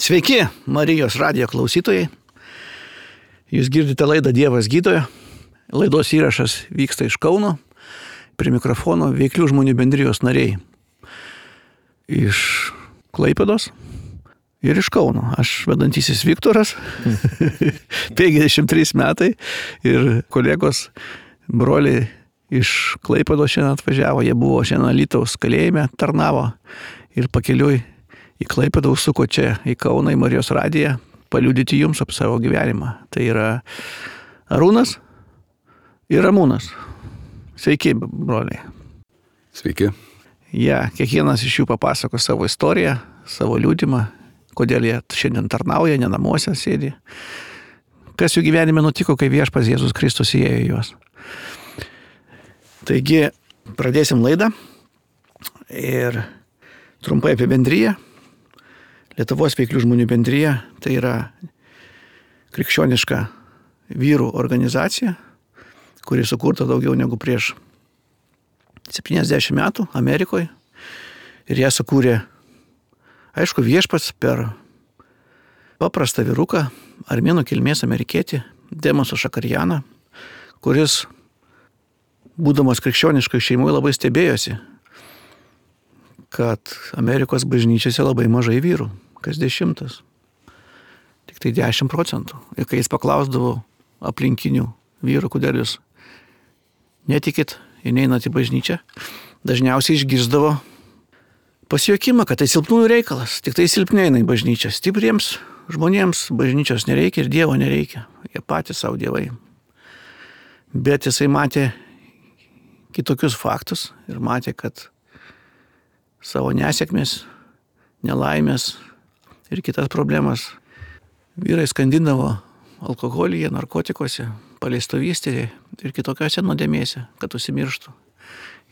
Sveiki, Marijos radijo klausytojai. Jūs girdite laidą Dievas gydoja. Laidos įrašas vyksta iš Kauno. Prie mikrofono Veiklių žmonių bendrijos nariai. Iš Klaipėdos ir iš Kauno. Aš vedantysis Viktoras, 53 metai ir kolegos broliai iš Klaipėdos šiandien atvažiavo. Jie buvo šiandien Alytaus kalėjime, tarnavo ir pakeliui į Klaipėdą užsuko čia į Kauną, į Marijos radiją, paliudyti jums apie savo gyvenimą. Tai yra Arūnas ir Ramūnas. Sveiki, broliai. Sveiki. Kiekvienas iš jų papasako savo istoriją, savo liudymą, kodėl jie šiandien tarnauja, ne namuose sėdi. Kas jų gyvenime nutiko, kai Viešpats Jėzus Kristus įėjo į juos. Taigi, pradėsim laidą ir trumpai apie bendriją. Lietuvos Veiklių žmonių bendrija tai yra krikščioniška vyrų organizacija, kuri sukurta daugiau negu prieš 70 metų Amerikoje. Ir ją sukūrė, aišku, Viešpats per paprastą vyruką, armėnų kilmės amerikietį, Demosą Šakarianą, kuris, būdamas krikščioniškai šeimoje, labai stebėjosi, kad Amerikos bažnyčiose labai mažai vyrų, kas 10. Tik tai 10%. Ir kai jis paklausdavo aplinkinių vyrų, kodėl jūs netikit ir neinat į bažnyčią, dažniausiai išgirsdavo pasijuokimą, kad tai silpnųjų reikalas, tik tai silpniai eina į bažnyčią. Stipriems žmonėms bažnyčios nereikia ir Dievo nereikia. Jie patys savo dievai. Bet jisai matė kitokius faktus ir matė, kad savo nesėkmės, nelaimės ir kitas problemas vyrai skandindavo alkoholyje, narkotikuose, paleistovystėje ir kitokiose nuodėmėse, kad užsimirštų.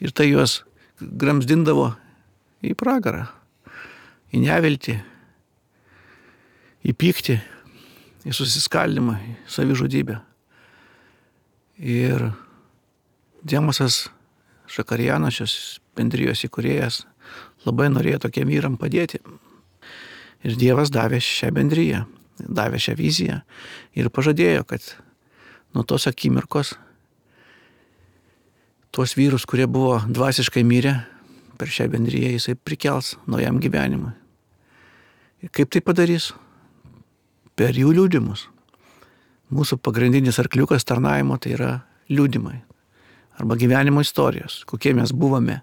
Ir tai juos gramzdindavo į pragarą, į neviltį, į pyktį, į susiskaldimą, į savižudybę. Ir Demosas Šakarianas, šios bendrijos įkūrėjas, labai norėjo tokiem vyram padėti. Ir Dievas davė šią bendriją, davė šią viziją ir pažadėjo, kad nuo tos akimirkos tuos vyrus, kurie buvo dvasiškai mirę, per šią bendriją jisai prikels naujam gyvenimui. Ir kaip tai padarys? Per jų liudimus. Mūsų pagrindinis arkliukas tarnavimo tai yra liudimai arba gyvenimo istorijos, kokie mes buvome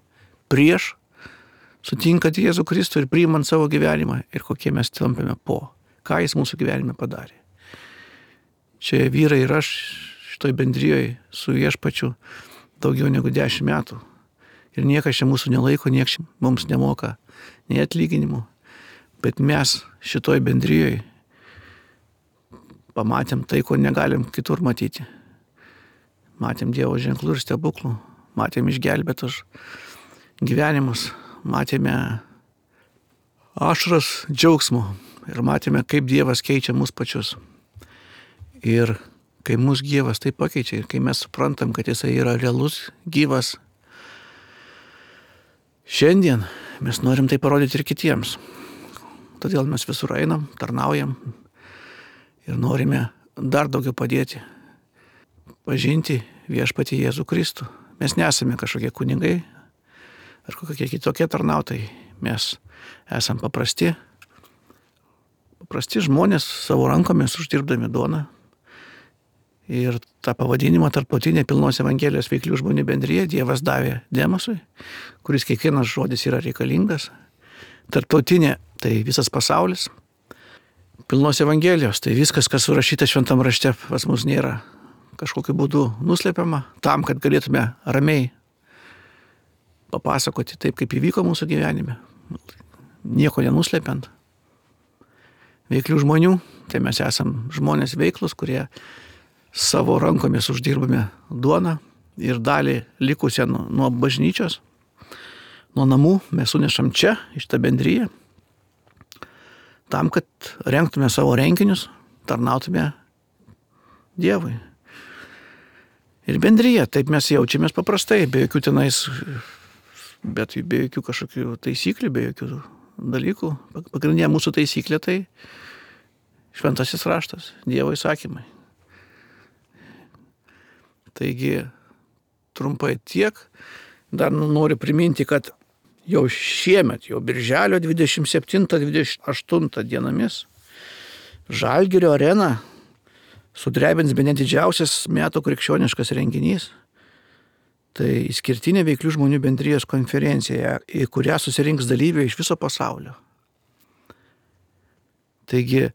prieš sutinkant Jėzų Kristų ir priimant savo gyvenimą ir kokie mes tampame po, ką jis mūsų gyvenime padarė. Čia vyrai ir aš šitoj bendrijoje su Viešpačiu daugiau negu 10 metų. Ir niekas čia mūsų nelaiko, niekas mums nemoka nei atlyginimų. Bet mes šitoj bendrijoje pamatėm tai, ko negalim kitur matyti. Matėm Dievo ženklų ir stebuklų, matėm išgelbėtus gyvenimus, matėme ašaras džiaugsmo ir matėme, kaip Dievas keičia mus pačius. Ir kai mus Dievas taip pakeičia ir kai mes suprantam, kad jisai yra realus, gyvas, šiandien mes norim tai parodyti ir kitiems. Todėl mes visur einam, tarnaujam ir norime dar daugiau padėti, pažinti Viešpatį Jėzų Kristų. Mes nesame kažkokie kunigai ar kokie kitokie tarnautojai. Mes esam paprasti žmonės savo rankomis uždirbdami duoną. Ir tą pavadinimą tarptautinė pilnos Evangelijos Veiklių žmonių bendrija Dievas davė Demosui, kuris kiekvienas žodis yra reikalingas. Tarptautinė tai visas pasaulis. Pilnos Evangelijos tai viskas, kas surašyta šventam rašte, pas mus nėra kažkokiu būdu nuslepiama, tam, kad galėtume ramiai papasakoti taip, kaip įvyko mūsų gyvenime, nieko nenuslepiant. Veiklių žmonių, tai mes esam žmonės veiklus, kurie savo rankomis uždirbame duoną ir dalį likusią nuo bažnyčios, nuo namų mes sunešam čia, iš tą bendriją, tam, kad rengtume savo renginius, tarnautume Dievui. Ir bendrija, taip mes jaučiamės paprastai, be jokių tenais, bet be jokių kažkokių taisyklių, be jokių dalykų. Pagrindinė mūsų taisyklė tai šventasis raštas, Dievo įsakymai. Taigi, trumpai tiek. Dar noriu priminti, kad jau šiemet, jau birželio 27-28 dienomis Žalgirio arena sudrebins bene didžiausias metų krikščioniškas renginys. Tai išskirtinė veiklių žmonių bendrijos konferencija, į kurią susirinks dalyviai iš viso pasaulio. Taigi,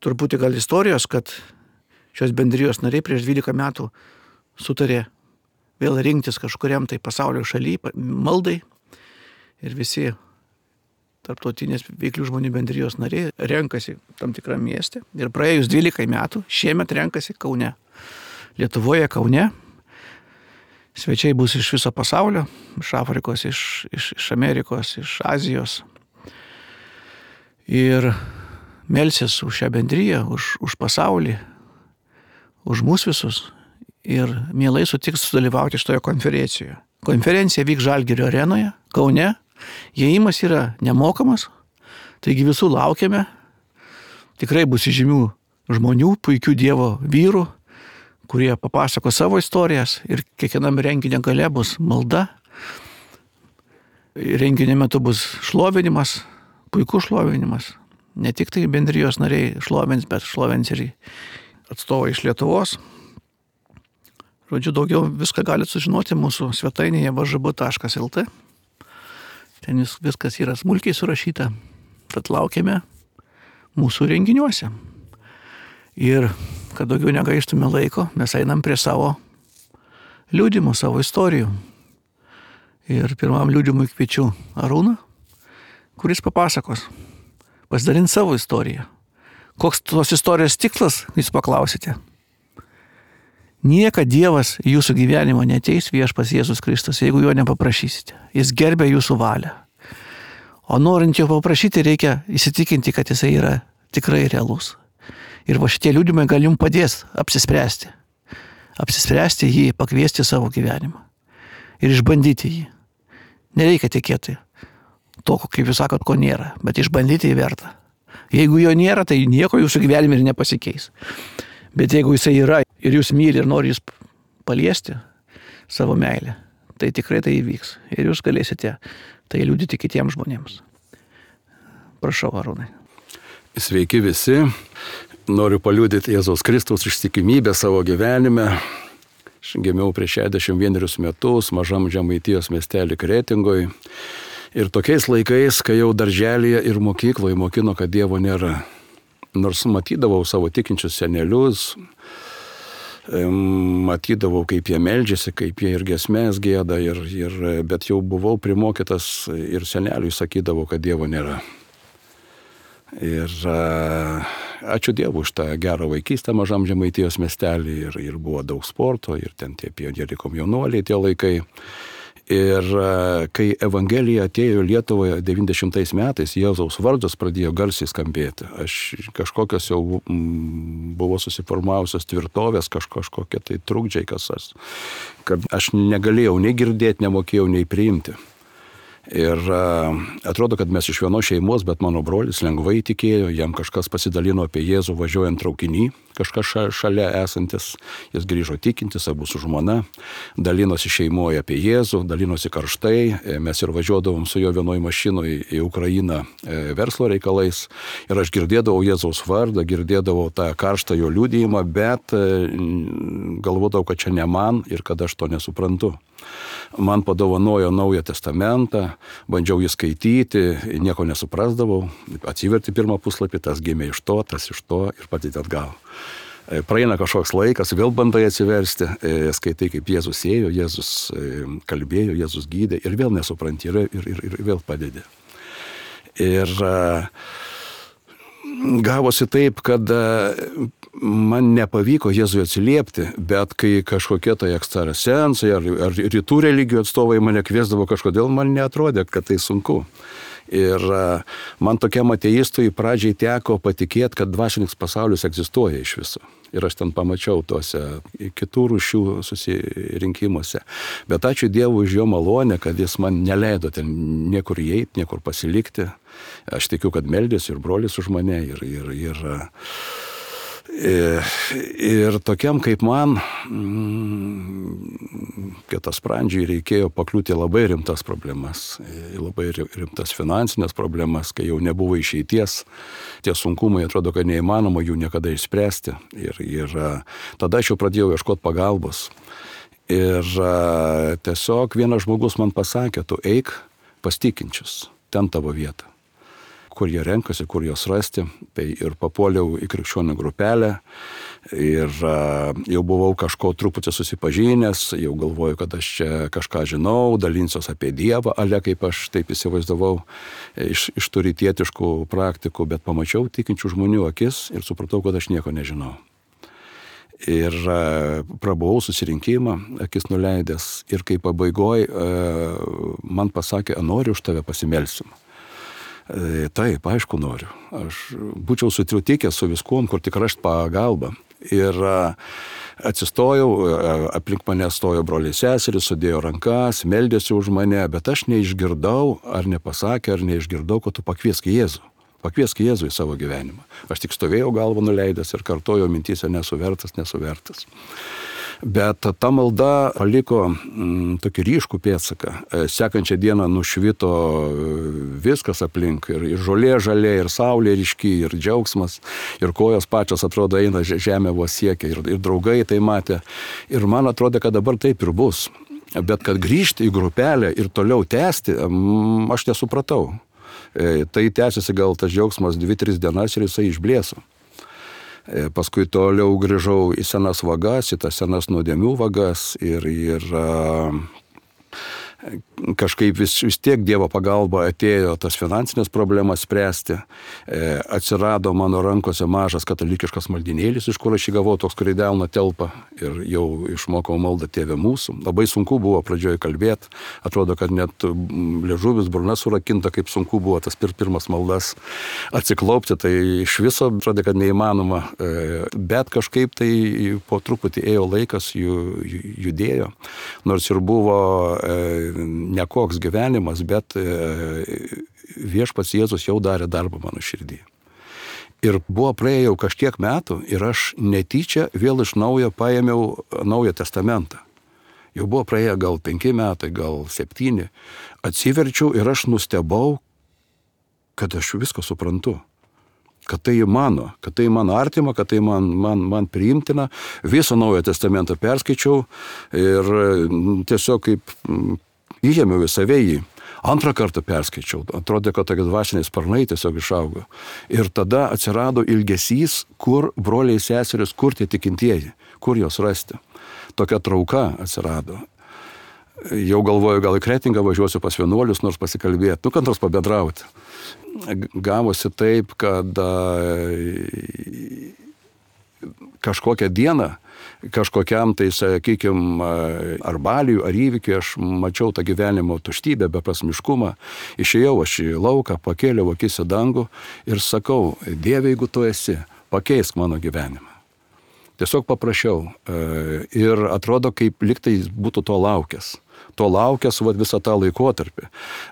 truputį gal istorijos, kad šios bendrijos nariai prieš 12 metų sutarė vėl rinktis kažkuriam tai pasaulio šaly, maldai, ir visi tarptautinės veiklių žmonių bendrijos nariai renkasi tam tikrą miestę. Ir praėjus 12 metų, šiemet renkasi Kaune. Lietuvoje Kaune. Svečiai bus iš viso pasaulio, iš Afrikos, iš Amerikos, iš Azijos. Ir melsis už šią bendriją, už pasaulį, už mus visus. Ir mielai sutiks sudalyvauti šitoje konferencijoje. Konferencija vyks Žalgirio arenoje, Kaune. Įėjimas yra nemokamas, taigi visų laukiame. Tikrai bus įžymių žmonių, puikių Dievo vyrų, kurie papasako savo istorijas, ir kiekvienam renginio gale bus malda. Renginio metu bus šlovinimas, puikus šlovinimas. Ne tik tai bendrijos nariai šlovins, bet šlovins ir atstovai iš Lietuvos. Žodžiu, daugiau viską galite sužinoti mūsų svetainėje vžb.lt. Ten viskas yra smulkiai surašyta. Tad laukiame mūsų renginiuose. Ir kad daugiau negaištume laiko, mes einam prie savo liudymų, savo istorijų. Ir pirmam liudymui kviečiu Arūną, kuris papasakos, pasidalins savo istoriją. Koks tos istorijos tikslas, jūs paklausite? Niekad Dievas į jūsų gyvenimą neateis viešpats Jėzus Kristus, jeigu jo nepaprašysite. Jis gerbia jūsų valią. O norint jo paprašyti, reikia įsitikinti, kad jisai yra tikrai realus. Ir va šitie liudymai gal jums padės apsispręsti. Apsispręsti jį, pakviesti savo gyvenimą. Ir išbandyti jį. Nereikia tikėti to, kaip jūs sakot, ko nėra, bet išbandyti jį verta. Jeigu jo nėra, tai nieko jūsų gyvenime ir nepasikeis. Bet jeigu jisai yra ir jūs myli ir nori jūs paliesti savo meilę, tai tikrai tai įvyks. Ir jūs galėsite tai liudyti kitiems žmonėms. Prašau, Arūnai. Sveiki visi. Noriu paliudyti Jėzaus Kristaus ištikimybę savo gyvenime. Aš gimiau prieš 61 metus mažam Žemaitijos miestelį Kretingoj. Ir tokiais laikais, kai jau darželyje ir mokykloje mokino, kad Dievo nėra. Nors matydavau savo tikinčius senelius, matydavau, kaip jie meldžiasi, kaip jie ir giesmės gieda, bet jau buvau primokytas ir seneliui sakydavau, kad Dievo nėra. Ir ačiū Dievui už tą gerą vaikystę mažam Žemaitijos miestelį, ir buvo daug sporto, ir ten tie pionieriai komjaunuoliai tie laikai. Ir kai Evangelija atėjo Lietuvoje 90 metais, Jėzaus vardas pradėjo garsiai skambėti. Aš kažkokios jau buvo susiformavusios tvirtovės, kažkokie tai trukdžiai, kad aš negalėjau nei girdėti, nemokėjau nei priimti. Ir atrodo, kad mes iš vienos šeimos, bet mano brolis lengvai tikėjo, jam kažkas pasidalino apie Jėzų važiuojant traukinį, kažkas šalia esantis, jis grįžo tikintis, abu su žmona, dalinosi šeimoje apie Jėzų, dalinosi karštai, mes ir važiuodavom su jo vienoj mašinoj į Ukrainą verslo reikalais, ir aš girdėdavau Jėzaus vardą, girdėdavau tą karštą jo liudijimą, bet galvodavau, kad čia ne man ir kad aš to nesuprantu. Man padovanojo Naują testamentą, bandžiau jį skaityti, nieko nesuprasdavau, atsiverti pirmą puslapį, tas gimė iš to, tas iš to ir patyti atgal. Praeina kažkoks laikas, vėl bandai atsiversti, skaitai, kaip Jėzus ėjo, Jėzus kalbėjo, Jėzus gydė ir vėl nesupranti ir vėl padedi. Ir gavosi taip, kad man nepavyko Jėzui atsiliepti, bet kai kažkokie tai ekstrasensai ar rytų religijų atstovai mane kviesdavo, kažkodėl man neatrodė, kad tai sunku. Ir man tokiam ateistui pradžiai teko patikėti, kad dvasinis pasaulis egzistuoja iš viso. Ir aš ten pamačiau tuose kitų rūšių susirinkimuose. Bet ačiū Dievui už jo malonę, kad jis man neleido ten niekur įeiti, niekur pasilikti. Aš tikiu, kad meldėsi ir brolis už mane. Ir tokiam kaip man, kietasprandžiui reikėjo pakliūti labai rimtas problemas, labai rimtas finansinės problemas, kai jau nebuvo išeities. Tie sunkumai atrodo, kad neįmanoma jų niekada išspręsti. Ir tada aš jau pradėjau ieškoti pagalbos. Ir tiesiog vienas žmogus man pasakė, tu eik pas tikinčius, ten tavo vieta. Kur jie renkasi, kur juos rasti. Tai ir papuoliau į krikščionių grupelę ir jau buvau kažko truputį susipažinęs, jau galvoju, kad aš čia kažką žinau, dalinsiuos apie Dievą, ale kaip aš taip įsivaizdavau iš tų rytietiškų praktikų, bet pamačiau tikinčių žmonių akis ir supratau, kad aš nieko nežinau. Ir prabuvau susirinkimą, akis nuleidęs ir kai pabaigoj man pasakė, noriu už tave pasimelsim. Taip, aišku noriu. Aš būčiau sutikęs su viskuom, kur tik rašt pagalbą. Ir atsistojau, aplink mane stojo broliai seserys, sudėjo rankas, meldėsi už mane, bet aš neišgirdau, ar nepasakė, ar neišgirdau, kad tu pakviesk Jėzų. Pakviesk Jėzų į savo gyvenimą. Aš tik stovėjau galvą nuleidęs ir kartojau mintyse nesu vertas. Bet ta malda paliko tokį ryškų pėdsaką. Sekančią dieną nušvito viskas aplink. Ir žolė žalė, ir saulė ryški, ir džiaugsmas, ir kojos pačios atrodo eina žemė vos siekia, ir draugai tai matė. Ir man atrodo, kad dabar taip ir bus. Bet kad grįžti į grupelę ir toliau tęsti, aš nesupratau. Tai tęsiasi gal tas džiaugsmas 2-3 dienas ir jisai išblėso. Paskui toliau grįžau į senas vagas, į tas senas nuodėmių vagas ir kažkaip vis tiek Dievo pagalba atėjo tas finansinės problemas spręsti. Atsirado mano rankose mažas katalikiškas maldinėlis, iš kur aš įgavau toks, kur į delną telpa ir jau išmokau maldą Tėve mūsų. Labai sunku buvo pradžioje kalbėti. Atrodo, kad net liežuvis, burna surakinta, kaip sunku buvo tas pirmas maldas atsiklaupti. Tai iš viso atrodo, kad neįmanoma. Bet kažkaip tai po truputį ėjo laikas, judėjo. Nors ir buvo nekoks gyvenimas, bet viešpats Jėzus jau darė darbą mano širdį. Ir buvo praėjau kažkiek metų ir aš netyčia vėl iš naujo paėmiau Naują testamentą. Jau buvo praėję gal 5 metai, gal 7. Atsiverčiau ir aš nustebau, kad aš viską suprantu. Kad tai mano artima, kad tai man priimtina. Visą Naują testamentą perskaičiau ir tiesiog kaip įėmiau į save jį. Antrą kartą perskaičiau. Atrodė, kad tokie dvasiniai sparnai tiesiog išaugo. Ir tada atsirado ilgesys, kur broliai seserys, kur tie tikintieji, kur jos rasti. Tokia trauka atsirado. Jau galvoju, gal į Kretingą važiuosiu pas vienuolius, nors pasikalbėti, kad nors pabendrauti. Gavosi taip, kad kažkokią dieną, kažkokiam tai, sakykime, ar baliui, ar įvykiui, aš mačiau tą gyvenimo tuštybę, beprasmiškumą. Išėjau aš į lauką, pakėliau akis į dangų ir sakau, Dieve, jeigu tu esi, pakeisk mano gyvenimą. Tiesiog paprašiau ir atrodo, kaip liktai būtų to laukęs. Visą tą laikotarpį.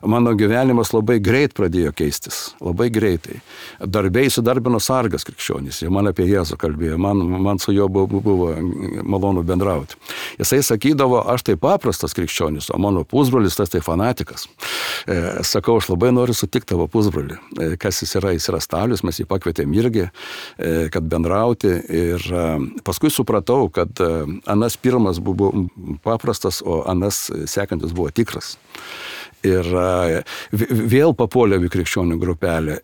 Mano gyvenimas labai greit pradėjo keistis, labai greitai. Darbė įsidarbino sargas krikščionys, jie man apie Jėzų kalbėjo, man su juo buvo malonu bendrauti. Jisai sakydavo, aš tai paprastas krikščionis, o mano pusbrolis tas tai fanatikas. Sakau, aš labai noriu sutikti tavo pusbrolį. Kas jis yra Stalius, mes jį pakvietėm irgi, kad bendrauti. Ir paskui supratau, kad anas pirmas buvo paprastas, o anas sekantis buvo tikras. Ir vėl papuoliau į krikščionių grupelę,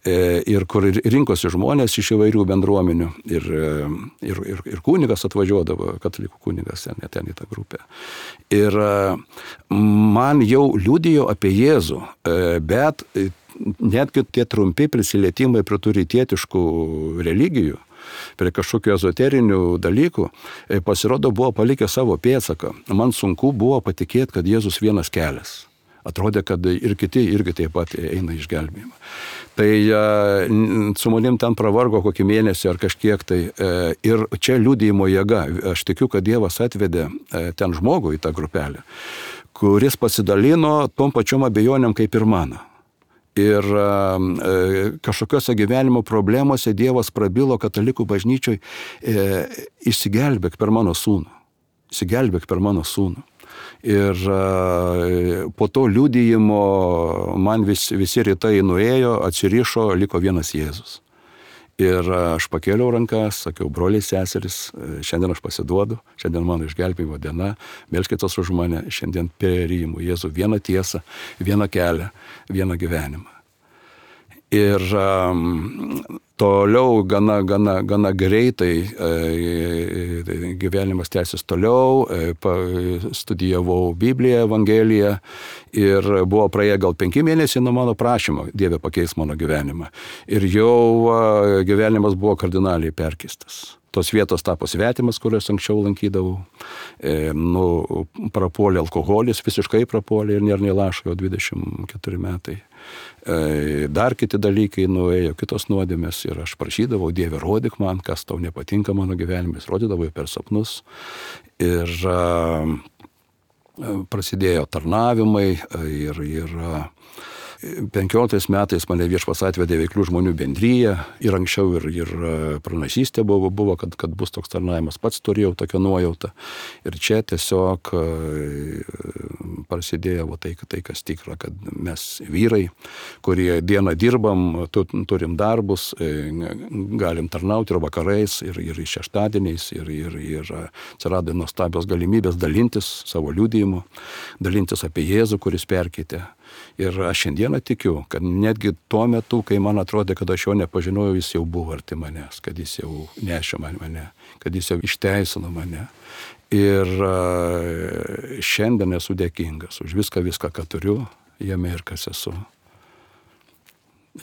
ir kur rinkosi žmonės iš įvairių bendruomenių, ir kunigas atvažiuodavo, katalikų kunigas ten į tą grupę. Ir man jau liudijo apie Jėzų, bet netgi tie trumpi prisilietimai prie tų rytietiškų religijų, prie kažkokių ezoterinių dalykų, pasirodo buvo palikę savo pėdsaką. Man sunku buvo patikėti, kad Jėzus vienas kelias. Atrodė, kad ir kiti irgi taip pat eina išgelbėjimą. Tai su manim ten pravargo kokį mėnesį ar kažkiek tai. Ir čia liudijimo jėga. Aš tikiu, kad Dievas atvedė ten žmogų į tą grupelę, kuris pasidalino tom pačiom abejonėm kaip ir mano. Ir kažkokiose gyvenimo problemose Dievas prabilo katalikų bažnyčioj, išsigelbėk per mano sūnų. Išsigelbėk per mano sūnų. Ir po to liudijimo man visi rytai nuėjo, atsirišo, liko vienas Jėzus. Ir aš pakėliau rankas, sakiau, broliai, seseris, šiandien aš pasiduodu, šiandien mano išgelbėjimo diena, melskitės už mane, šiandien priimu Jėzų vieną tiesą, vieną kelią, vieną gyvenimą. Ir toliau gana greitai gyvenimas tęsis toliau, studijavau Bibliją, Evangeliją ir buvo praėję gal 5 mėnesiai nuo mano prašymo, Dieve pakeis mano gyvenimą. Ir jau gyvenimas buvo kardinaliai perkeistas. Tos vietos tapo svetimas, kurias anksčiau lankydavau. Prapuolė alkoholis, visiškai prapuolė ir nėra nei lašo, jau 24 metai. Dar kiti dalykai nuėjo, kitos nuodėmės ir aš prašydavau, Dieve, rodyk man, kas tau nepatinka mano gyvenime, rodydavau per sapnus. Ir prasidėjo tarnavimai ir 15 metais mane Viešpats atvedė Veiklių žmonių bendriją ir anksčiau ir pranašystė buvo, kad bus toks tarnavimas, pats turėjau tokią nuojautą. Ir čia tiesiog prasidėjo tai, kas tikra, kad mes vyrai, kurie dieną dirbam, turim darbus, galim tarnauti ir vakarais, ir šeštadieniais, ir atsirado nuostabios galimybės dalintis savo liudijimu, dalintis apie Jėzų, kuris perkeitė. Ir aš šiandieną tikiu, kad netgi tuo metu, kai man atrodė, kad aš jo nepažinojau, jis jau buvo arti manęs, kad jis jau nešė mane, kad jis jau išteisino mane. Ir šiandien esu dėkingas už viską, ką turiu, jame ir kas esu.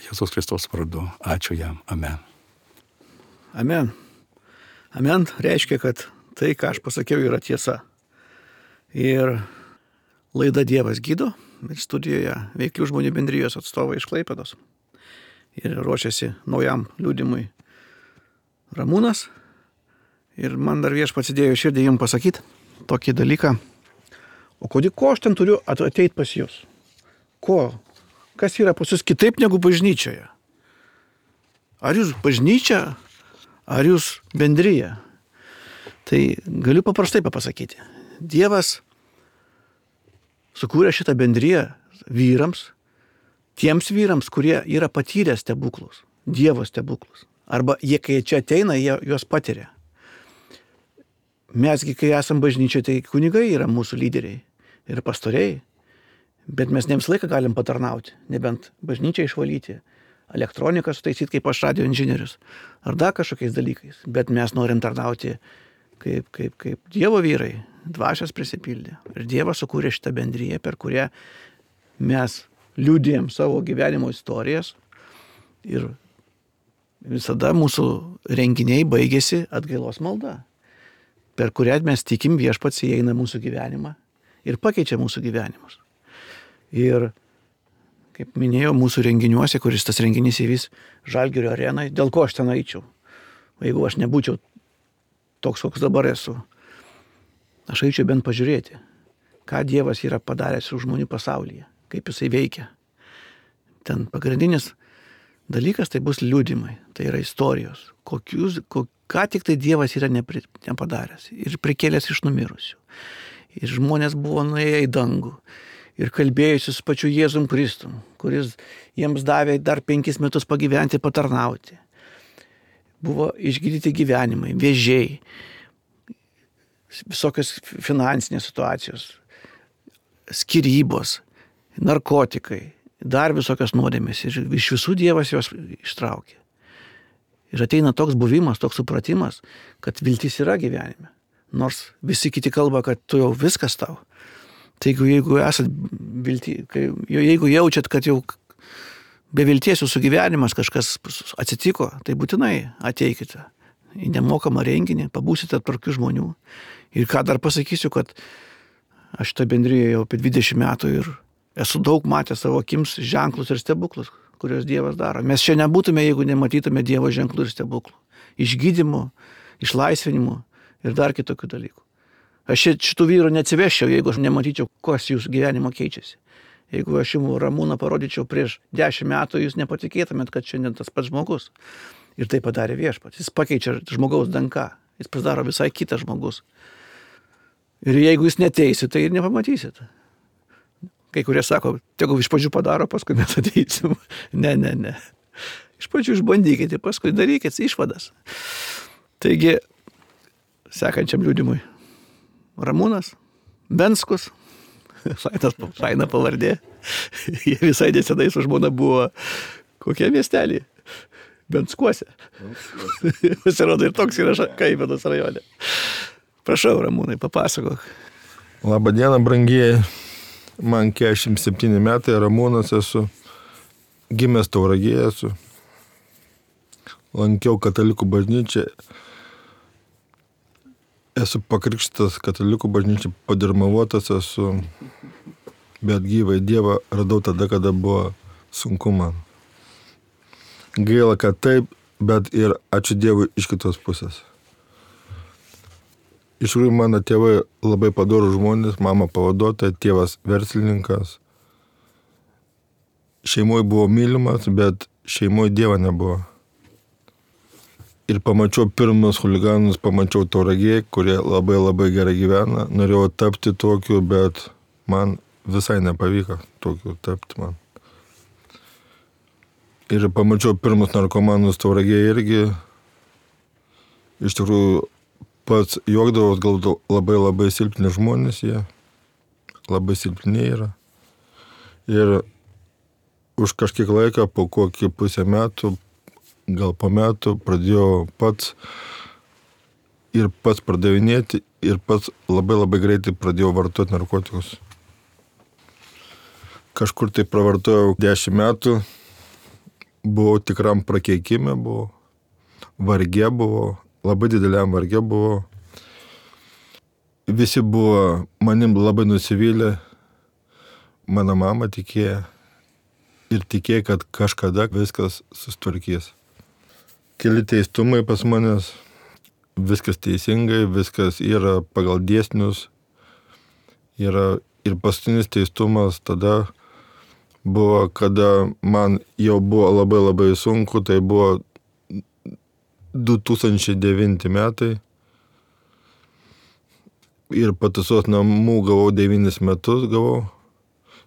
Jėzus Kristus vardu. Ačiū jam. Amen. Amen. Amen reiškia, kad tai, ką aš pasakiau, yra tiesa. Ir laida Dievas gydo. Ir studijoje Veiklių žmonių bendrijos atstovai iš Klaipėdos. Ir ruošiasi naujam liudimui Ramūnas. Ir man dar Viešpats įdėjo širdį jums pasakyti tokį dalyką. O ko aš ten turiu ateiti pas jūs? Kas yra pas jūs kitaip negu bažnyčioje? Ar jūs bažnyčia, ar jūs bendrija? Tai galiu paprastai papasakyti. Dievas sukūrė šitą bendriją vyrams, tiems vyrams, kurie yra patyrę stebuklus, Dievo stebuklus. Arba jie, kai čia ateina, jie juos patiria. Mesgi, kai esam bažnyčioje, tai kunigai yra mūsų lyderiai ir pastoriai, bet mes ne visą laiką galim patarnauti, nebent bažnyčią išvalyti, elektroniką sutaisyti kaip aš radio inžinierius, ar dar kažkokiais dalykais, bet mes norim tarnauti kaip Dievo vyrai, dvasios prisipildė. Ir Dievas sukūrė šitą bendriją, per kurią mes liudijam savo gyvenimo istorijas ir visada mūsų renginiai baigėsi atgailos malda, per kurią mes tikim Viešpats įeina mūsų gyvenimą ir pakeičia mūsų gyvenimus. Ir, kaip minėjau, mūsų renginiuose, kuris tas renginys įvys Žalgirio arenai, dėl ko aš ten eičiau? Jeigu aš nebūčiau toks, koks dabar esu, aš eičiau bent pažiūrėti, ką Dievas yra padaręs su žmonių pasaulyje, kaip jisai veikia. Ten pagrindinis dalykas tai bus liudymai, tai yra istorijos, ką tik tai Dievas yra nepadaręs ir prikėlęs iš numirusių. Ir žmonės buvo nuėję į dangų ir kalbėjusi su pačiu Jėzum Kristum, kuris jiems davė dar 5 metus pagyventi, patarnauti. Buvo išgydyti gyvenimai, vėžiai, visokios finansinės situacijos, skyrybos, narkotikai, dar visokios nuodėmės. Ir iš visų Dievas juos ištraukė. Ir ateina toks buvimas, toks supratimas, kad viltis yra gyvenime. Nors visi kiti kalba, kad tu jau viskas tau. Tai jeigu esat jeigu jaučiat, kad jau be vilties jūsų gyvenimas kažkas atsitiko, tai būtinai ateikite į nemokamą renginį, pabūsite tarp tokių žmonių. Ir ką dar pasakysiu, kad aš šitą bendriją jau apie 20 metų ir Esu daug matęs savo akims ženklus ir stebuklus, kuriuos Dievas daro. Mes čia nebūtume, jeigu nematytume Dievo ženklų ir stebuklų. Išgydymo, išlaisvinimo ir dar kitokių dalykų. Aš šitų vyrų neatsiveščiau, jeigu aš nematyčiau, kas jūsų gyvenimo keičiasi. Jeigu aš jums Ramūną parodyčiau prieš 10 metų, jūs nepatikėtumėt, kad šiandien tas pats žmogus. Ir tai padarė Viešpats. Jis pakeičia žmogaus danką. Jis pasidaro visai kitas žmogus. Ir jeigu jūs neteisit, tai ir nepamatysit. Kai kurie sako, tegu iš pradžių padaro, paskui mes ateisim. Ne. Iš pradžių išbandykite, paskui darykite išvadas. Taigi, sekančiam liudimui. Ramūnas, Benskus, faina pavardė. Jie visai nesenai su žmona buvo kokie miestelį? Benskuose. Pasirodo ir toks yra Klaipėdos rajone. Prašau, Ramūnai, papasakok. Labą dieną, brangieji. Man 47 metai, Ramūnas esu. Gimęs Tauragėje esu. Lankiau katalikų bažnyčią. Esu pakrikštytas katalikų bažnyčią, padirmavotas esu. Bet gyvai Dievą radau tada, kada buvo sunku man. Gaila, kad taip, bet ir ačiū Dievui iš kitos pusės. Iš tikrųjų, mano tėvai labai padorūs žmonės, mama pavaduotoja, tėvas verslininkas. Šeimoje buvo mylimas, bet šeimoje Dievo nebuvo. Ir pamačiau pirmus huliganus, pamačiau Tauragėje, kurie labai gerai gyvena. Norėjau tapti tokiu, bet man visai nepavyko tokiu tapti man. Ir pamačiau pirmus narkomanus Tauragėje irgi. Iš tikrųjų, pats juokdavos, galvodavau, labai silpni žmonės jie. Labai silpni yra. Ir už kažkiek laiko, po kokį pusę metų, gal po metų, pradėjau pats pardavinėti ir pats labai greitai pradėjau vartoti narkotikus. Kažkur tai pravartojau 10 metų. Buvau tikram prakeikime, buvau varge, labai dideliam varge buvau. Visi buvo manim labai nusivylę, mano mama tikėjo ir tikėjo, kad kažkada viskas sustvarkys. Keli teistumai pas manęs, viskas teisingai, viskas yra pagal dėsnius. Yra ir paskutinis teistumas tada buvo, kada man jau buvo labai sunku, tai buvo 2009 metai. Ir pataisos namų gavau 9 metus gavau.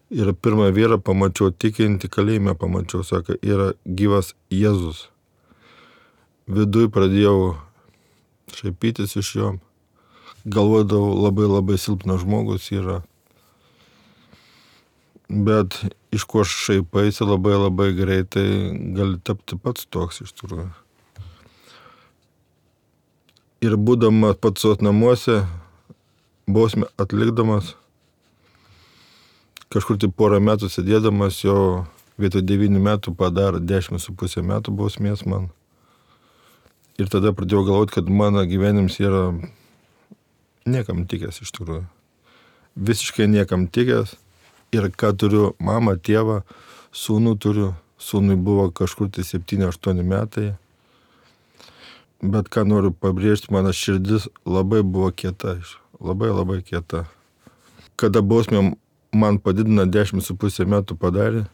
Ir pirmą vyrą pamačiau tikinti kalėjime, sako, yra gyvas Jėzus. Viduj pradėjau šaipytis iš jo. Galvodavau, labai silpnas žmogus yra. Bet iš ko šaipaisi labai greitai gali tapti pats toks iš tikrųjų. Ir būdamas pataisos namuose, bausmę atlikdamas, kažkur tai porą metų sėdėdamas, jau vietoj 9 metų padarė 10,5 metų bausmės man. Ir tada pradėjau galvoti, kad mano gyvenimas yra niekam tikęs iš tikrųjų. Visiškai niekam tikęs. Ir ką turiu, mamą, tėvą, sūnų turiu. Sūnui buvo kažkur tai 7-8 metai. Bet ką noriu pabrėžti, mano širdis labai buvo kieta. Labai kieta. Kada bausmę man padidino 10,5 metų padarė.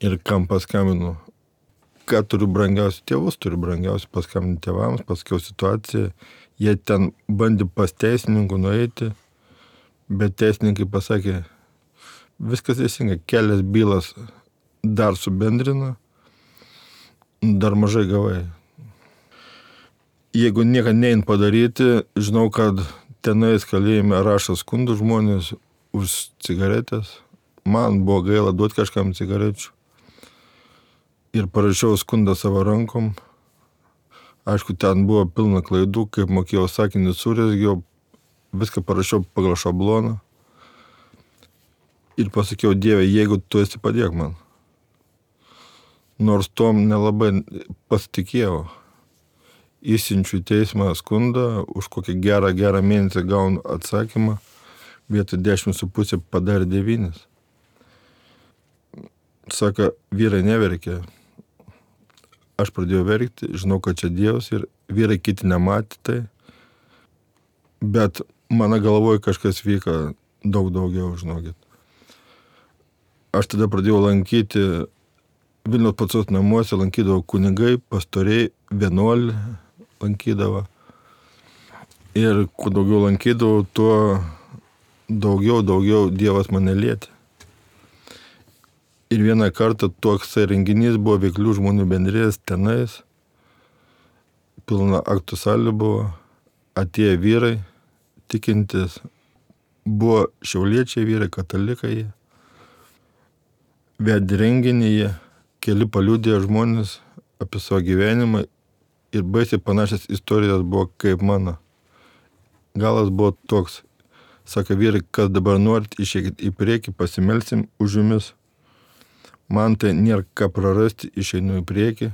Ir kam paskambinu. Ką turiu brangiausių, tėvus turiu brangiausių, paskambinu tėvams, pasakiau situaciją. Jie ten bandė pas teisininkų nueiti. Bet teisininkai pasakė, viskas teisingai, kelias bylas dar subendrina, dar mažai gavai. Jeigu nieko nein padaryti, žinau, kad tenais kalėjime rašo skundų žmonės už cigaretės. Man buvo gaila duoti kažkam cigarečių. Ir parašiau skundą savo rankom. Aišku, ten buvo pilna klaidų, kaip mokėjau sakinį surezgiau. Viską parašiau pagal šabloną. Ir pasakiau, Dieve, jeigu tu esi, padėk man. Nors tom nelabai pasitikėjau. Įsiunčiu į teismą skundą, už kokį gerą mėnesį gaunu atsakymą. vietoj 10,5 padarė 9. Sako, vyrai neverkia. Aš pradėjau verkti, žinau, kad čia Dievas ir vyrai kiti nematė tai. Bet mano galvoje kažkas vyko daug daugiau, žinokit. Aš tada pradėjau lankyti Vilniaus Pacos namuose, lankydavo kunigai, pastoriai, vienuoliai lankydavo. Ir kuo daugiau lankydavau, tuo daugiau Dievas mane lietė. Ir vieną kartą toks renginys buvo veiklių žmonių bendrės tenais. Pilna aktų salė buvo, atėjo vyrai, tikintis. Buvo šiauliečiai vyrai, katalikai. Vedė renginį jie, keli paliudėjo žmonės apie savo gyvenimą ir baisiai panašias istorijos buvo kaip mano. Galas buvo toks, sako vyrai, kas dabar norit, išeikit į priekį, pasimelsim už jumis. Man tai nėra ką prarasti, išeinu į priekį,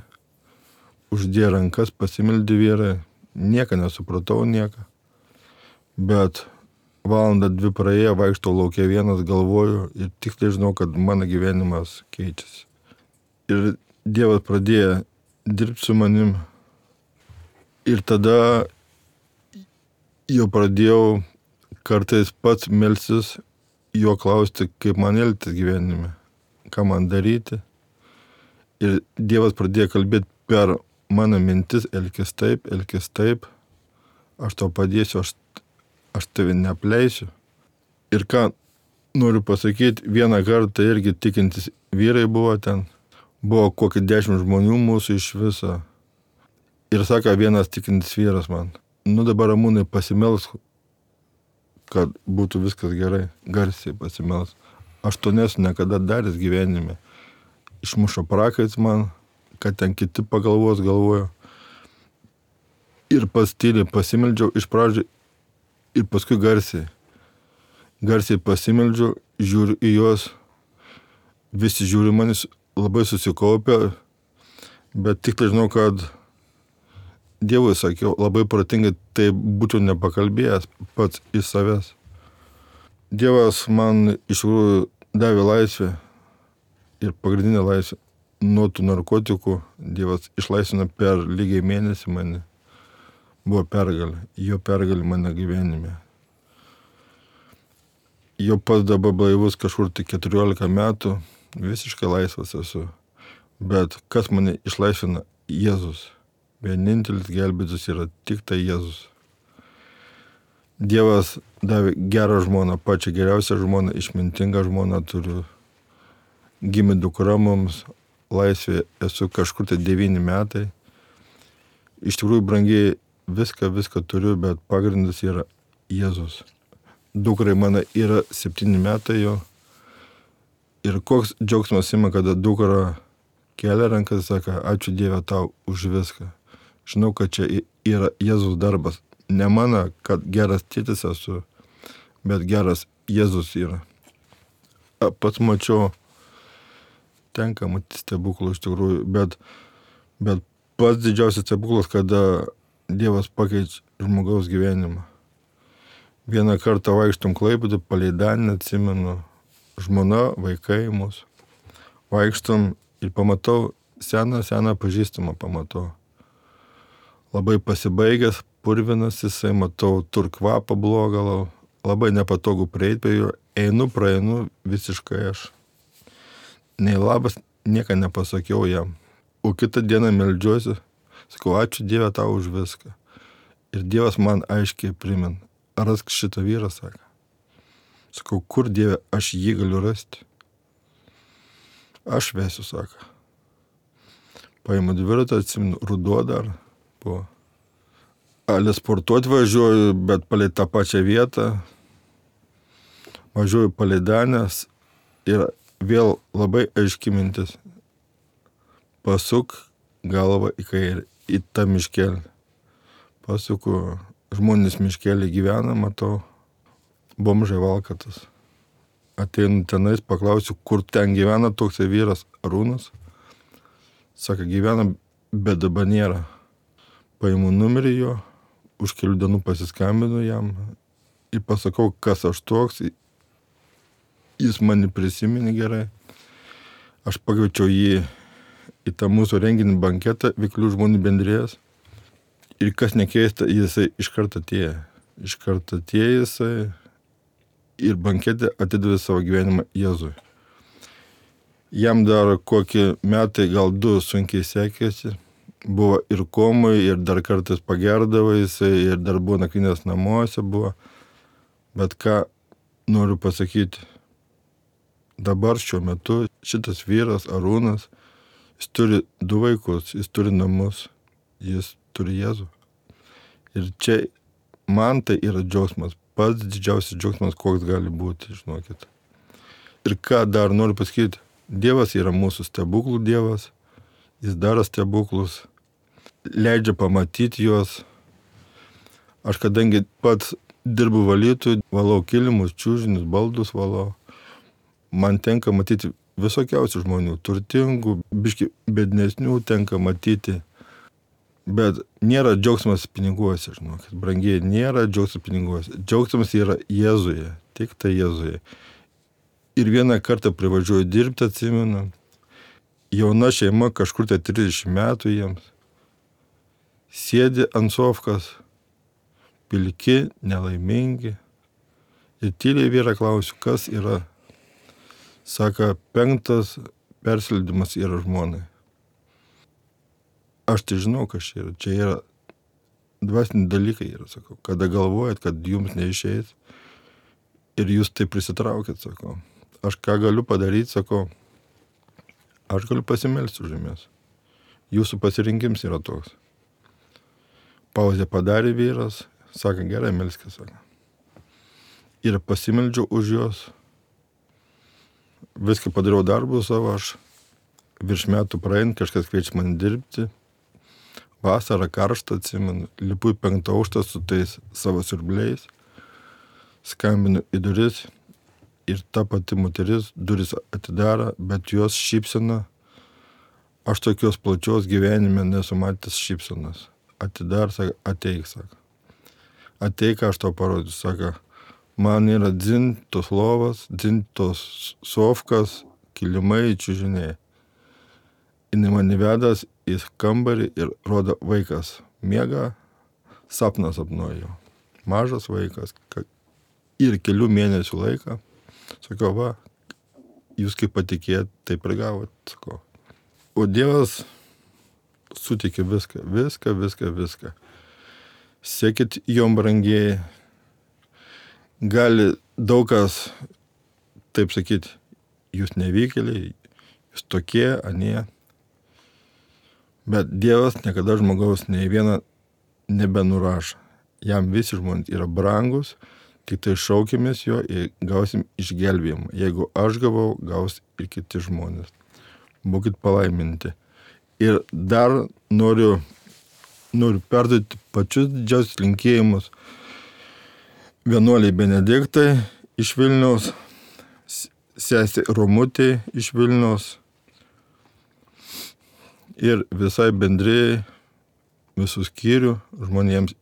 uždėjo rankas, pasimeldė vyrai, nieko nesupratau, nieko. Bet valandą 2 praėjo, vaikštau laukia vienas, galvoju ir tiksliai žinau, kad mano gyvenimas keičiasi. Ir Dievas pradėjo dirbti su manim. Ir tada jau pradėjau kartais pats melstis, jo klausti, kaip man elgtis gyvenime, ką man daryti. Ir Dievas pradėjo kalbėti per mano mintis, elkis taip, aš tau padėsiu, aš tave neapleisiu. Ir ką noriu pasakyti, vieną kartą irgi tikintis vyrai buvo ten, buvo kokį 10 žmonių mūsų iš viso. Ir sako vienas tikintis vyras man, dabar Ramūnai pasimelsk, kad būtų viskas gerai, garsiai pasimelsk. Aš to nesu niekada daręs gyvenime. Išmušo prakais man, kad ten kiti pagalvos galvojo. Ir pats tyliai pasimeldžiau iš pradžių ir paskui garsiai. Garsiai pasimeldžiau, žiūriu į juos, visi žiūri manis, labai susikaupę, bet tik tai žinau, kad Dievui sakiau, labai protingai tai būčiau nepakalbėjęs pats iš savęs. Dievas man iš tikrųjų davė laisvę ir pagrindinę laisvę nuo tų narkotikų. Dievas išlaisvino per lygiai mėnesį mane. Buvo pergalė, jo pergalė mano gyvenime. Jau pats dabar blaivus kažkur tai 14 metų, visiškai laisvas esu. Bet kas mane išlaisvina? Jėzus. Vienintelis gelbėtojas yra tik tai Jėzus. Dievas davė gerą žmoną, pačią geriausią žmoną, išmintingą žmoną turiu. Gimė dukra mums, laisvė esu kažkur tai 9 metai. Iš tikrųjų brangiai viską turiu, bet pagrindas yra Jėzus. Dukrai mano yra 7 metai jo. Ir koks džiaugsmas ima, kada dukra kelia rankas, sako, ačiū Dieve tau už viską. Žinau, kad čia yra Jėzus darbas. Ne mano, kad geras tėtis esu, bet geras Jėzus yra. Pats mačiau, tenka matyti stebuklų iš tikrųjų, bet pats didžiausias stebuklas, kada Dievas pakeičia žmogaus gyvenimą. Vieną kartą vaikštom Klaipėdoj, palei Danę, atsimenu, žmona, vaikai mūsų. Vaikštom ir pamatau seną pažįstamą pamatau. Labai pasibaigęs, purvinas jisai, matau turkvapą blogą, labai nepatogu prieiti prie jo, praeinu visiškai aš. Nei labas, nieko nepasakiau jam. O kitą dieną meldžiuosi, sakau, ačiū Dieve tau už viską. Ir Dievas man aiškiai primin, rask šitą vyrą, sako. Sakau, kur Dieve aš jį galiu rasti? Aš vesiu, sako. Paimu dviratą, atsimenu, ruduo dar buvo. Ale sportuoti važiuoju, bet palei tą pačią vietą. Važiuoju palei Danės ir vėl labai aiški mintis. Pasuk galvą į kairę, į tą miškelį. Pasuku, žmonės miškelį gyvena, matau, bomžai valkatas. Ateinu tenais, paklausiu, kur ten gyvena toksai vyras Arūnas. Sako, gyvena, bet dabar nėra. Paimu numerį jo, už kelių dienų pasiskambinu jam ir pasakau, kas aš toks. Jis mane prisiminė gerai. Aš pakviečiau jį į tą mūsų renginį banketą Veiklių žmonių bendrijos. Ir kas nekeista, jisai iš karto atėjo. Iš karto atėjo jisai ir banketė atidavė savo gyvenimą Jėzui. Jam dar kokį metai, gal 2 sunkiai sekėsi. Buvo ir komui, ir dar kartais pagerdavo jisai, ir dar buvo nakvynės namuose buvo. Bet ką noriu pasakyti, dabar šiuo metu šitas vyras, Arūnas, jis turi 2 vaikus, jis turi namus, jis turi Jėzų. Ir čia man tai yra džiaugsmas, pats didžiausias džiaugsmas, koks gali būti, žinokit. Ir ką dar noriu pasakyti, Dievas yra mūsų stebuklų Dievas, jis daro stebuklus, leidžia pamatyti juos. Aš kadangi pats dirbu valytojų, valau kilimus, čiužinius, baldus valau, man tenka matyti visokiausių žmonių, turtingų, biški bednesnių tenka matyti. Bet nėra džiaugsmas piniguose, žinokit, brangiai, nėra džiaugsmas piniguose. Džiaugsmas yra Jėzuje, tik tai Jėzuje. Ir vieną kartą privažiuoju dirbti, atsimenu, jauna šeima, kažkur tai 30 metų jiems, sėdi ant sofkos, pilki, nelaimingi. Ir tyliai vyrą klausiu, kas yra. Saka, 5 persileidimas yra žmonai. Aš tai žinau, kas čia yra. Čia yra dvasiniai dalykai, yra, sakau. Kada galvojat, kad jums neišeis ir jūs tai prisitraukit, sakau. Aš ką galiu padaryti, sakau, aš galiu pasimelsti už jumis. Jūsų pasirinkims yra toks. Pauzę padarė vyras, sako, gerai, melskis, sako. Ir pasimeldžiau už juos. Viską padariau darbų savo, aš virš metų praein, kažkas kviečia man dirbti. Vasarą karštą, atsimenu, lipu į 5 aukštą su tais savo siurbliais, skambinu į duris ir ta pati moteris duris atidaro, bet jos šypsena, aš tokios plačios gyvenime nesu matęs šypsenos. Atidar, sako, ateik, sako. Ateik, aš tau parodysiu, sako, man yra dzintos lovas, dzintos sofkas, kilimai, čiužiniai. Jis mane vedas į kambarį ir rodo vaikas. Miega, sapną sapnuoju. Mažas vaikas. Ir kelių mėnesių laiką. Sakau, va, jūs kaip patikėjot, taip ir gavot, sakau. O Dievas sutikė viską, viską, viską, viską. Sekit jom brangiai. Gali daug kas, taip sakyti, jūs nevykėliai, jūs tokie, anie. Bet Dievas niekada žmogaus nei vieną nebenurašo. Jam visi žmonės yra brangus, tik tai šaukimės jo ir gausim išgelbėjimą. Jeigu aš gavau, gaus ir kiti žmonės. Būkit palaiminti. Ir dar noriu perduoti pačius didžiausius linkėjimus vienuoliai Benediktai iš Vilniaus, sesė Romutė iš Vilniaus ir visai bendrijai, visų skyrių žmonėms.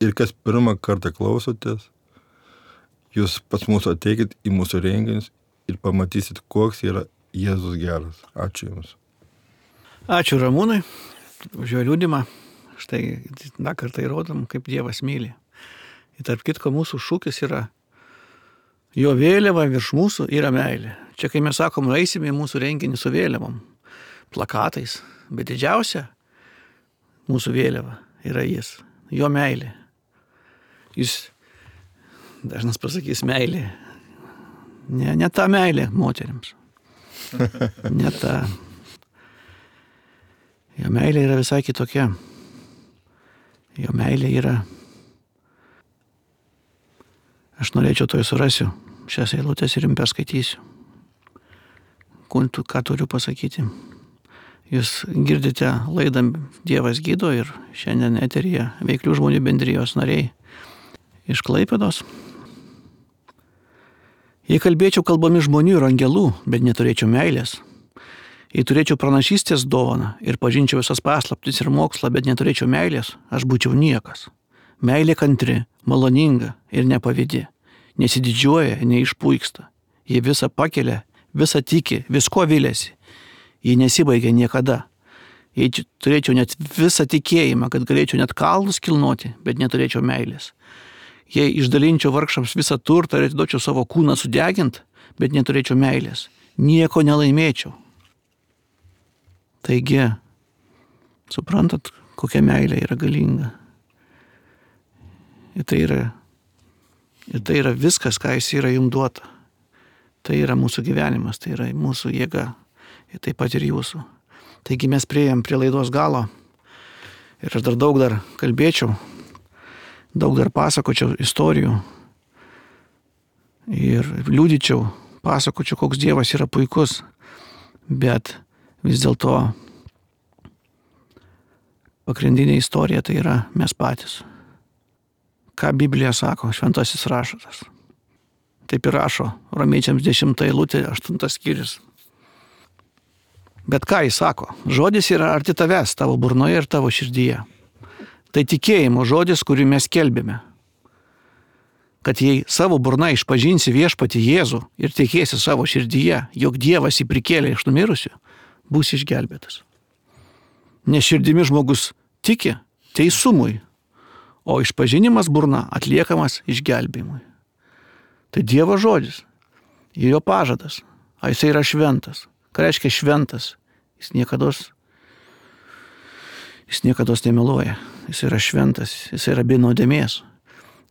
Ir kas pirmą kartą klausotės, jūs pas mūsų ateikit į mūsų renginius ir pamatysit, koks yra Jėzus geras. Ačiū Jums. Ačiū Ramūnui už jo liudymą. Štai dar kartą įrodom, kaip Dievas myli. Ir tarp kitko mūsų šūkis yra jo vėliava virš mūsų yra meilė. Čia kai mes sakom, eisime į mūsų renginį su vėliavom, plakatais, bet didžiausia mūsų vėliava yra jis, jo meilė. Jis dažnas pasakys meilė. Ne ta meilė moteriams. Ne ta. Jo meilė yra visai kitokia. Jo meilė yra. Aš norėčiau to surasiu šias eilutes ir jums perskaitysiu. Ką turiu pasakyti. Jūs girdite laidą Dievas gydo ir šiandien eteryje Veiklių žmonių bendrijos nariai iš Klaipėdos. Jei kalbėčiau kalbomis žmonių ir angelų, bet neturėčiau meilės, jei turėčiau pranašystės dovaną ir pažinčiau visas paslaptis ir mokslą, bet neturėčiau meilės, aš būčiau niekas. Meilė kantri, maloninga ir nepavydi, nesididžiuoja, neišpuiksta. Ji visą pakelia, visą tiki, visko viliasi. Ji nesibaigia niekada. Jei turėčiau net visą tikėjimą, kad galėčiau net kalnus kilnoti, bet neturėčiau meilės. Jei išdalinčiau vargšams visą turtą ir atiduočiau savo kūną sudegint, bet neturėčiau meilės, nieko nelaimėčiau. Taigi, suprantat, kokia meilė yra galinga. Ir tai yra viskas, ką jis yra jums duota. Tai yra mūsų gyvenimas, tai yra mūsų jėga ir taip pat ir jūsų. Taigi mes priėjom prie laidos galo ir aš daug kalbėčiau, daug dar pasakočiau istorijų ir liudyčiau, pasakočiau, koks Dievas yra puikus, bet vis dėlto pagrindinė istorija tai yra mes patys. Ką Biblija sako, šventasis raštas. Taip ir rašo Romiečiams 10 eilutė, 8 skyrius. Bet ką jis sako? Žodis yra arti tavęs, tavo burnoje ir tavo širdyje. Tai tikėjimo žodis, kurį mes skelbėme. Kad jei savo burna išpažinsi viešpatį Jėzų ir tikėsi savo širdyje, jog Dievas jį prikėlė iš numirusių, bus išgelbėtas. Nes širdimi žmogus tiki teisumui, o išpažinimas burna atliekamas išgelbėjimui. Tai Dievo žodis ir jo pažadas, o jis yra šventas. Ką reiškia šventas? Jis niekados nemeluoja. Jis yra šventas, jis yra be nuodėmės.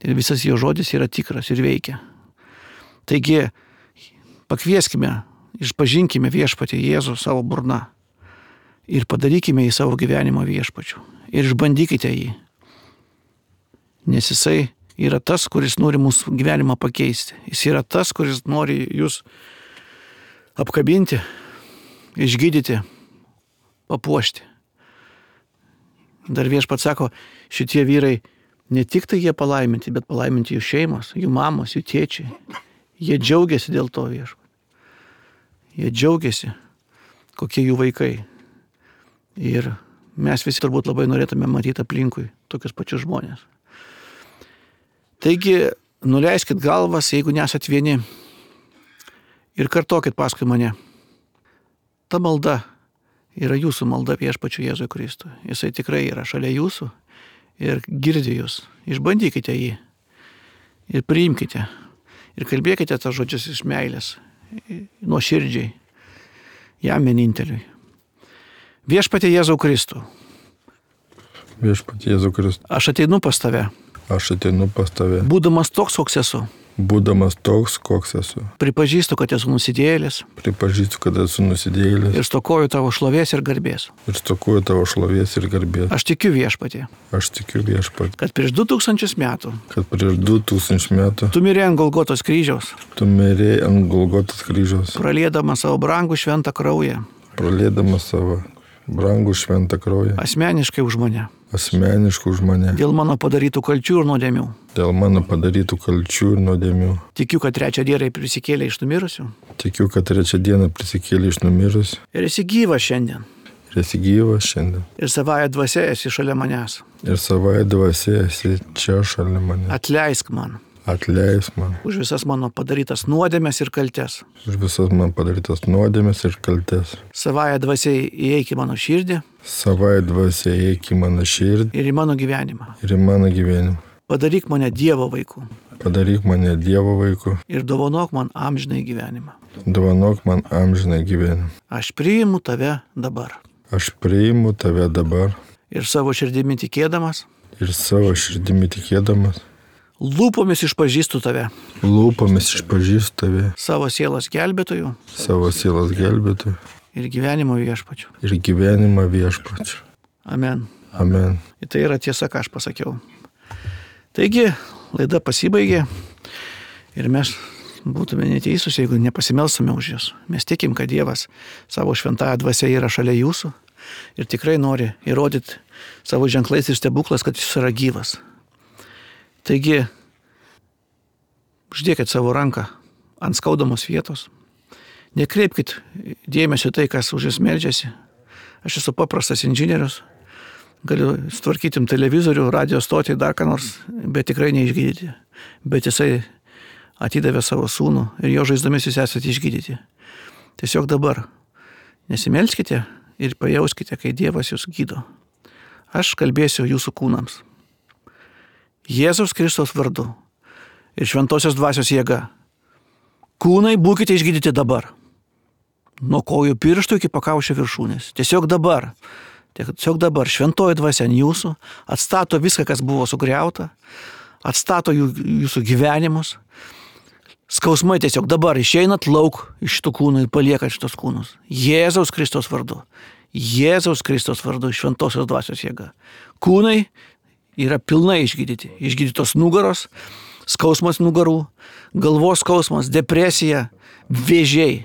Ir visas jo žodis yra tikras ir veikia. Taigi, pakvieskime, išpažinkime viešpatį Jėzų savo burna ir padarykime į savo gyvenimo viešpačių. Ir išbandykite jį. Nes jisai yra tas, kuris nori mūsų gyvenimą pakeisti. Jis yra tas, kuris nori jūs apkabinti, išgydyti, papuošti. Dar viešpats sako, šitie vyrai ne tik tai jie palaiminti, bet palaiminti jų šeimos, jų mamos, jų tėčiai. Jie džiaugiasi dėl to viešpat. Jie džiaugiasi, kokie jų vaikai. Ir mes visi turbūt labai norėtume matyti aplinkui tokius pačius žmonės. Taigi, nuleiskit galvas, jeigu nesat vieni, ir kartokit paskui mane. Ta malda yra jūsų malda viešpačiu Jėzui Kristui. Jisai tikrai yra šalia jūsų ir girdi jūs. Išbandykite jį ir priimkite. Ir kalbėkite tą žodžius iš meilės, nuoširdžiai, jam vieninteliui. Viešpatie Jėzau Kristų. Viešpatie Jėzau Kristų. Aš ateinu pas tave. Būdamas toks, koks esu. Pripažįstu, kad esu nusidėjėlis. Ir stokoju tavo šlovės ir garbės. Aš tikiu viešpatie. Kad prieš 2000 metų. Tu mirė ant Golgotos kryžiaus. Praliedamas savo brangų šventą kraują. Asmeniškai už mane. Dėl mano padarytų kalčių ir nuodėmių. Tikiu, kad trečią dieną prisikėlė iš numirusių. Ir esi gyvas šiandien. Ir savąja dvasia esi šalia manęs. Atleisk man. Už visas mano padarytas nuodėmes ir kaltes. Savąja dvasia įeik į mano širdį. Ir į mano gyvenimą. Padaryk mane Dievo vaiku. Ir dovanok man amžinai gyvenimą. Aš priimu tave dabar. Ir savo širdimi tikėdamas. Lūpomis išpažįstu tave. Savo sielos gelbėtojų. Ir gyvenimo viešpačių. Amen. Tai yra tiesa, ką aš pasakiau. Taigi, laida pasibaigė ir mes būtume neteisūs, jeigu nepasimelstume už jūs. Mes tikim, kad Dievas savo šventąją dvasią yra šalia jūsų ir tikrai nori įrodyti savo ženklais ir stebuklas, kad jis yra gyvas. Taigi, uždėkit savo ranką ant skaudamos vietos. Nekreipkit dėmesio tai, kas už jūs meldžiasi. Aš esu paprastas inžinierius. Galiu tvarkytim televizorių, radio stotį, dar ką nors, bet tikrai neišgydyti. Bet jisai atidavė savo sūnų ir jo žaizdomis jūs esate išgydyti. Tiesiog dabar nesimelskite ir pajauskite, kai Dievas jūs gydo. Aš kalbėsiu jūsų kūnams. Jėzaus Kristaus vardu ir šventosios dvasios jėga. Kūnai būkite išgydyti dabar. Nuo kojų pirštų iki pakaušio viršūnės. Tiesiog dabar šventoji dvasia ant jūsų atstato viską, kas buvo sugriauta, atstato jūsų gyvenimus. Skausmai tiesiog dabar išeinat lauk iš šitų kūnų ir paliekat šitos kūnus. Jėzaus Kristaus vardu. Jėzaus Kristaus vardu, šventosios dvasios jėga. Kūnai yra pilnai išgydyti. Išgydytos nugaros, skausmas nugarų, galvos skausmas, depresija, vėžiai.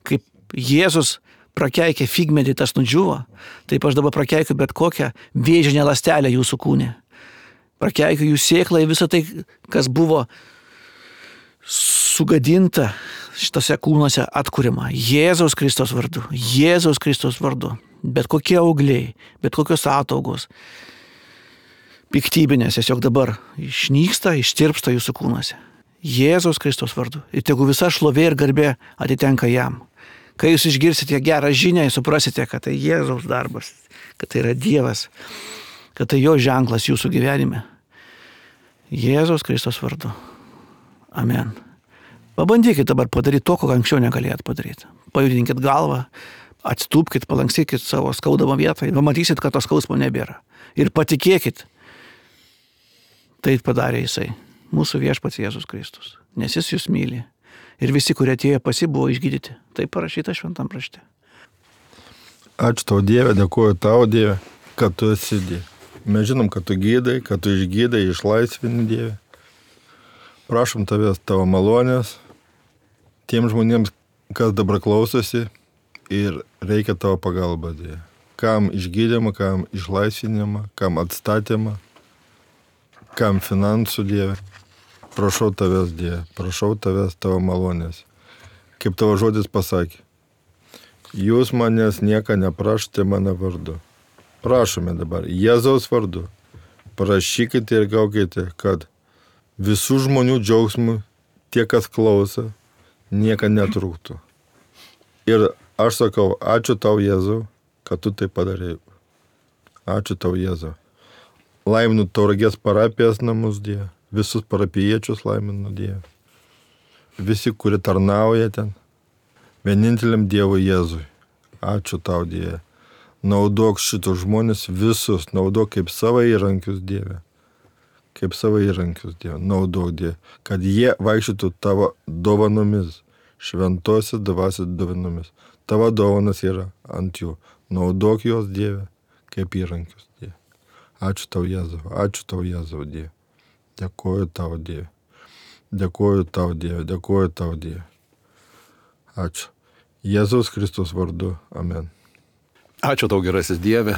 Kaip Jėzus prakeikė figmedį, tas nudžiuvo, taip aš dabar prakeikiu bet kokią vėžinę ląstelę jūsų kūne. Prakeikiu jų sėklą į visą tai, kas buvo sugadinta šitose kūnuose atkuriama. Jėzaus Kristaus vardu. Jėzaus Kristaus vardu. Bet kokie augliai, bet kokios ataugos, piktybinės, tiesiog dabar išnyksta, ištirpsta jūsų kūnuose. Jėzaus Kristaus vardu. Ir tegu visa šlovė ir garbė atitenka jam. Kai jūs išgirsite gerą žinią, suprasite, kad tai Jėzaus darbas, kad tai yra Dievas, kad tai jo ženklas jūsų gyvenime. Jėzaus Kristaus vardu. Amen. Pabandykit dabar padaryti to, ko anksčiau negalėjot padaryti. Pajudinkit galvą, atstūpkit, palankstykit savo skaudamą vietą ir pamatysit, kad to skausmo nebėra. Ir patikėkit, tai padarė jisai, mūsų viešpats Jėzus Kristus, nes jis jūs myli. Ir visi, kurie atėjo pas jį, buvo išgydyti. Tai parašyta šventam rašte. Ačiū tau Dieve, dėkuoju tau Dieve, kad tu esi Dieve. Mes žinom, kad tu gydai, kad tu išgydai, išlaisvini Dieve. Prašom tavęs tavo malonės tiem žmonėms, kas dabar klausosi ir reikia tavo pagalba Dieve. Kam išgydymą, kam išlaisvinimą, kam atstatymą, kam finansų Dieve. Prašau tavęs, Dieve, prašau tavęs tavo malonės. Kaip tavo žodis pasakė, jūs manęs nieką neprašote mano vardu. Prašome dabar, Jėzaus vardu, prašykite ir gaukite, kad visų žmonių džiaugsmų, tie, kas klauso, nieka netrūktų. Ir aš sakau, ačiū tau, Jėzau, kad tu tai padarei. Ačiū tau, Jėzau. Laiminu Tauragės parapijos namus, Dieve. Visus parapijiečius laiminu Dieve. Visi, kurie tarnauja ten. Vieninteliam Dievui Jėzui. Ačiū tau, Dieve. Naudok šitus žmonės visus. Naudok kaip savo įrankius, Dieve. Kaip savo įrankius, Dieve. Naudok, Dieve. Kad jie vaikščiotų tavo dovanomis. Šventosios dvasios dovanomis. Tavo dovanas yra ant jų. Naudok juos, Dieve, kaip įrankius, Dieve. Ačiū tau, Jėzau. Ačiū tau, Jėzau, Dieve. Dėkuoju tau, Dieve. Dėkuoju tau, Dieve. Dėkuoju tau, Dieve. Ačiū. Jėzaus Kristus vardu. Amen. Ačiū tau, gerasis Dieve,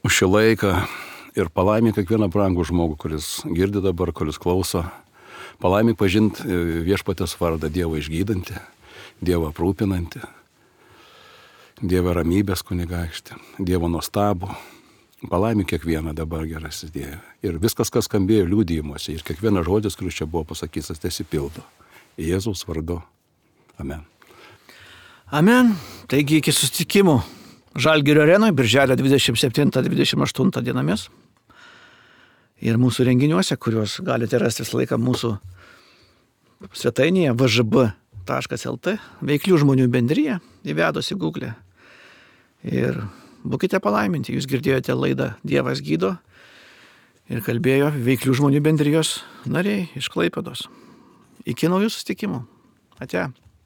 už šį laiką ir palaimink kiekvieną brangų žmogų, kuris girdi dabar, kuris klauso. Palaimink pažinti viešpatės vardą, Dievą išgydantį, Dievą aprūpinantį, Dievą ramybės kunigaikštį, Dievą nuostabų. Palaimink kiekvieną dabar, gerasis Dieve. Ir viskas, kas skambėjo liudijimuose, ir kiekvienas žodis, kuris čia buvo pasakytas, tesipildo. Jėzaus vardu. Amen. Amen. Taigi iki susitikimų Žalgirio arenoje, birželio 27-28 dienomis. Ir mūsų renginiuose, kuriuos galite rasti visą laiką mūsų svetainėje vžb.lt, veiklių žmonių bendrija, įvedus į Google. Ir būkite palaiminti, jūs girdėjote laidą Dievas gydo ir kalbėjo veiklių žmonių bendrijos nariai iš Klaipėdos. Iki naujų susitikimų. Ate.